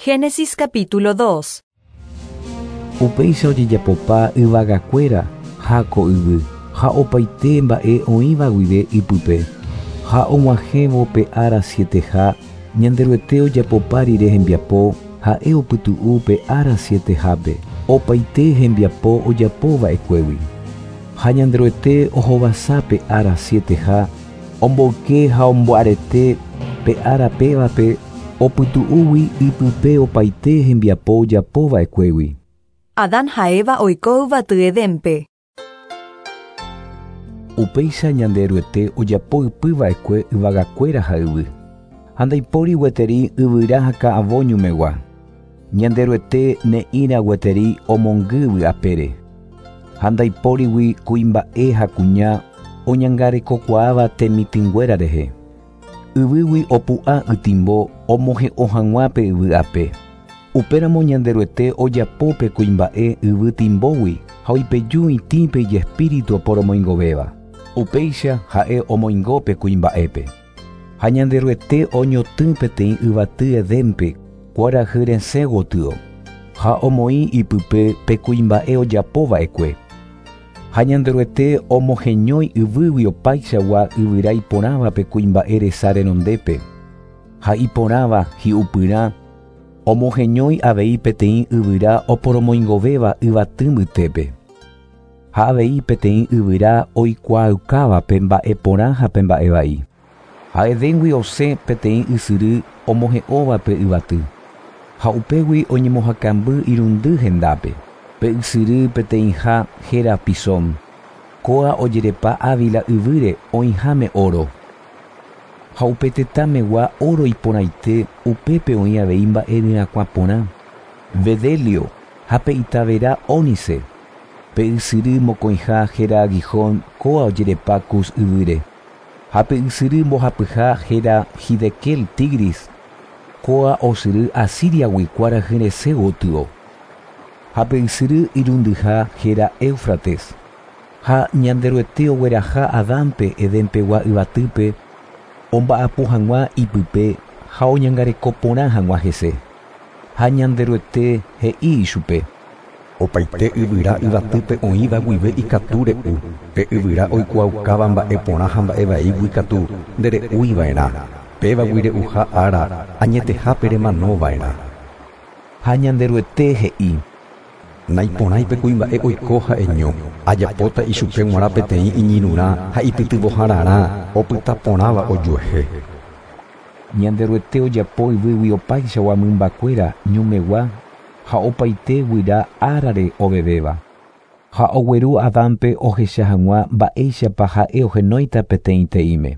Génesis capítulo 2. Upéicha ojejapopa yvagakuéra ha ko yvy, ha opaite mba'e oĩva guive ipype. Ha og̃uahẽvo pe ára sieteha, Ñanderuete ojapopa rire hembiapo, ha'e opytu'u pe ára sietehápe, opaite hembiapo ojapova'ekuégui. Ha Ñanderuete ohovasa pe ára sieteha, omboyke ha omboarete pe ára pévape opytu'úgui ipype opaite hembiapo ojapova'ekuégui. Adán ha Eva oiko yvaty Edénpe. Upéicha Ñanderuete ojapo ypyva'ekue yvagakuéra ha yvy. Ha ndaipóri gueteri yvyra ha ka'avo ñumegua. Ñanderuete ne'ĩra gueteri omongy yvy apére. Ha ndaipórigui kuimba'e ha kuña oñangarekokuaáva temitỹnguéra rehe. Yvýgui opu'ã ytimbo omohe'õ hag̃ua pe yvy ape. Upéramo Ñanderuete ojapo pe kuimba'e yvy timbógui ha oipeju itĩpe ijespíritu oporomoingovéva. Upéicha ha'e omoingo pe kuimba'épe. Ha Ñanderuete oñotỹ peteĩ yvaty Edénpe kuarahy resẽ gotyo, ha omoĩ ipype pe kuimba'e ojapova'ekue. Ha Ñanderuete omoheñói yvýgui opaichagua yvyra iporãva pe kuimba'e resa renondépe, ha iporãva hi'upyrã omoheñói avei peteĩ yvyra oporomoingovéva yvaty mbytépe. Ha avei peteĩ yvyra oikuaaukáva pe mba'e porã ha pe mba'e vai. Ha Edéngui osẽ peteĩ ysyry omohe'õva pe yvaty. Ha upégui oñemohakamby irundy hendápe. Pe ysyry peteĩha héra Pisón. Kóa ojerepa Ávila yvýre oĩháme óro. Ha upe tetãmegua óro iporãite upépe oĩ avei mba'e ryakuã porã, Bedelio ha pe itavera ónice. Pe ysyry mokõiha héra Gihón kóa ojerepa Cus yvýre. Ha pe ysyry mbohapyha héra Hidekel Tigris, kóa osyry Asíriagui kuarahy resẽ gotyo. Ha pe ysyry irundyha héra Éufrates. Ha Ñanderuete ogueraha Adánpe Edenpegua yvatýpe omba'apo hag̃ua ipype ha oñangareko porã hag̃ua hese. Ha Ñanderuete he'i ichupe. Opaite yvyra yvatýpe oĩva guive ikatu re'u, pe yvyra oikuaaukáva mba'e porã ha mba'e vaígui katu ndere'úiva'erã, pévagui re'uha ára añetehápe remanova'erã. Ha Ñanderuete he'i. Naiporãi pe kuimba'e oiko ha'eño, ajapóta ichupe g̃uarã peteĩ iñirũrã ha ipytyvõhararã opyta porãva ojuehe. Ñanderuete ojapo yvýgui opaichagua mymbakuéra ñumegua ha opaite guyra árare ovevéva. Ha ogueru Adánpe ohecha hag̃ua mba'éichapa ha'e ohenóita peteĩteĩme.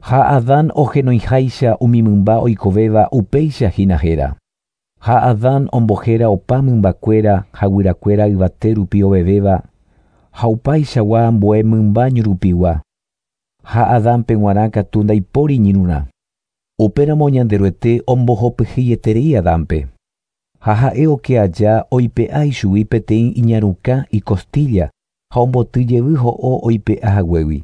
Ha Adán ohenoiháicha umi mymba oikovéva upéicha hína héra. Ha Adán ombohéra opa mymbakuéra ha guyrakuéra yvate rupi ovevéva ha upaichagua ambue mymba ñurupigua. Ha Adánpe g̃uarã katu ndaipóri iñirũrã. Upéramo Ñanderuete ombohopyhýieterei Adánpe. Ha ha'e oke aja oipe'a ichugui peteĩ iñarukã icostilla ha omboty jevy ho'o oipe'a haguégui.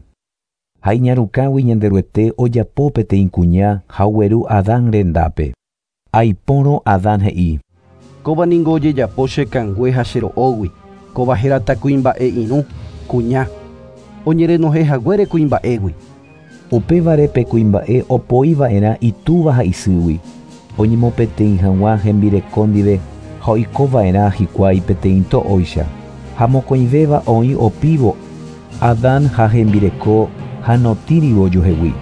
Ha iñarukãgui Ñanderuete ojapo peteĩ kuña ha ogueru Adán rendápe. Aipórõ Adán he'i. Kóva ningo ojejapo che kangue ha che ro'ógui, kóva hérata kuimba'e irũ, kuña, oñerenohẽ haguére kuimba'égui. Upévare pe kuimba'e opoiva'erã itúva ha isýgui, oñemopeteĩ hag̃ua hembireko ndive ha oikova'erã hikuái peteĩ to'óicha. Ha mokõivéva oĩ opívo Adán ha hembireko ha notĩrivo ojuehegui.